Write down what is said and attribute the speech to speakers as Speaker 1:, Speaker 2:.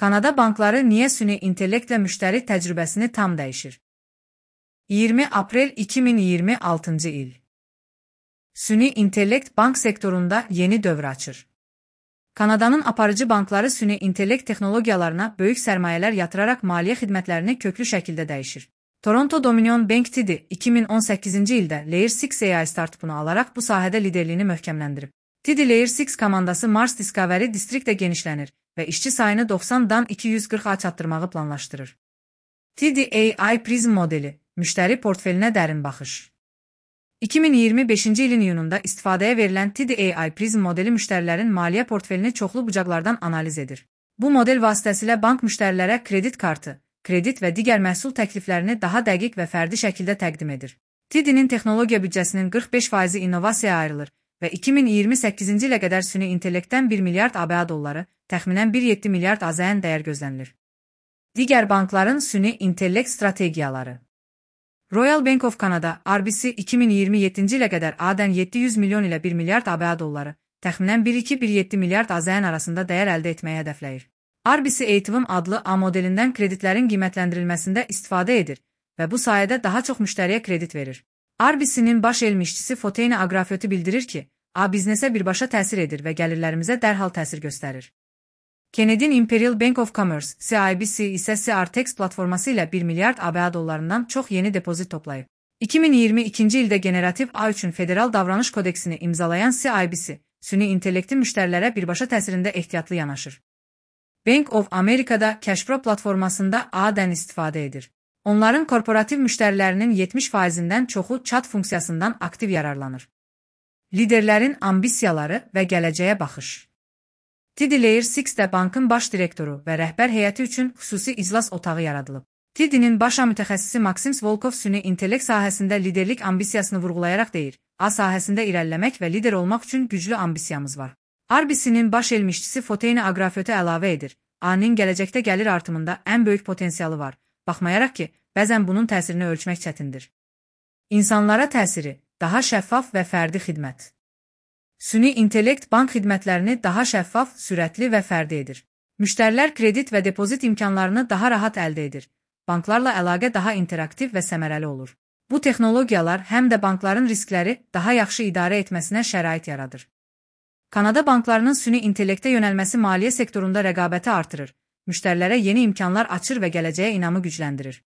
Speaker 1: Kanada bankları niyə süni intellektlə müştəri təcrübəsini tam dəyişir? 20 aprel 2026-cı il. Süni intellekt bank sektorunda yeni dövr açır. Kanadanın aparıcı bankları süni intellekt texnologiyalarına böyük sərmayələr yatıraraq maliyyə xidmətlərini köklü şəkildə dəyişir. Toronto Dominion Bank TD 2018-ci ildə Layer 6 AI startupunu alaraq bu sahədə liderliyini möhkəmləndirib. TD Layer 6 komandası Mars Discovery District'də genişlənir və işçi sayını 90-dan 240-a çatdırmağı planlaşdırır. TD AI Prism modeli, müştəri portfelinə dərin baxış. 2025-ci ilin iyununda istifadəyə verilən TD AI Prism modeli müştərilərin maliyyə portfelini çoxlu bucaqlardan analiz edir. Bu model vasitəsilə bank müştərilərə kredit kartı, kredit və digər məhsul təkliflərini daha dəqiq və fərdi şəkildə təqdim edir. TD'nin texnologiya büdcəsinin 45% innovasiyaya ayrılır və 2028-ci ilə qədər süni intellektdən 1 milyard ABA dolları, təxminən 1,7 milyard AZN dəyər gözlənilir. Digər bankların süni intellekt strategiyaları. Royal Bank of Canada, RBC 2027-ci ilə qədər ADN 700 milyon ilə 1 milyard ABA dolları, təxminən 1,2-1,7 milyard AZN arasında dəyər əldə etməyə hədəfləyir. RBC ATVM adlı A modelindən kreditlərin qiymətləndirilməsində istifadə edir və bu sayədə daha çox müştəriyə kredit verir. RBC-nin baş elm işçisi Foteina Agrafyoti bildirir ki, A biznesə birbaşa təsir edir və gəlirlərimizə dərhal təsir göstərir. Canadian Imperial Bank of Commerce, CIBC isə CRTX platforması ilə 1 milyard ABA dollarından çox yeni depozit toplayıb. 2022-ci ildə generativ A üçün federal davranış kodeksini imzalayan CIBC, süni intellektin müştərilərə birbaşa təsirində ehtiyatlı yanaşır. Bank of America'da CashPro platformasında A-dən istifadə edir. Onların korporativ müştərilərinin 70%-dən çoxu chat funksiyasından aktiv yararlanır. Liderlərin ambisiyaları və gələcəyə baxış. TD Layer 6-də bankın baş direktoru və rəhbər heyəti üçün xüsusi iclas otağı yaradılıb. TD'nin baş mütəxəssisi Maksim Volkov süni intellekt sahəsində liderlik ambisiyasını vurğulayaraq deyir, A sahəsində irəliləmək və lider olmaq üçün güclü ambisiyamız var. RBC-nin baş elm işçisi Foteina Agrafyoti əlavə edir, A-nın gələcəkdə gəlir artımında ən böyük potensialı var, baxmayaraq ki, bəzən bunun təsirini ölçmək çətindir. İnsanlara təsiri, daha şəffaf və fərdi xidmət. Süni intellekt bank xidmətlərini daha şəffaf, sürətli və fərdi edir. Müştərilər kredit və depozit imkanlarını daha rahat əldə edir. Banklarla əlaqə daha interaktiv və səmərəli olur. Bu texnologiyalar həm də bankların riskləri daha yaxşı idarə etməsinə şərait yaradır. Kanada banklarının süni intellektə yönəlməsi maliyyə sektorunda rəqabəti artırır, müştərilərə yeni imkanlar açır və gələcəyə inamı gücləndirir.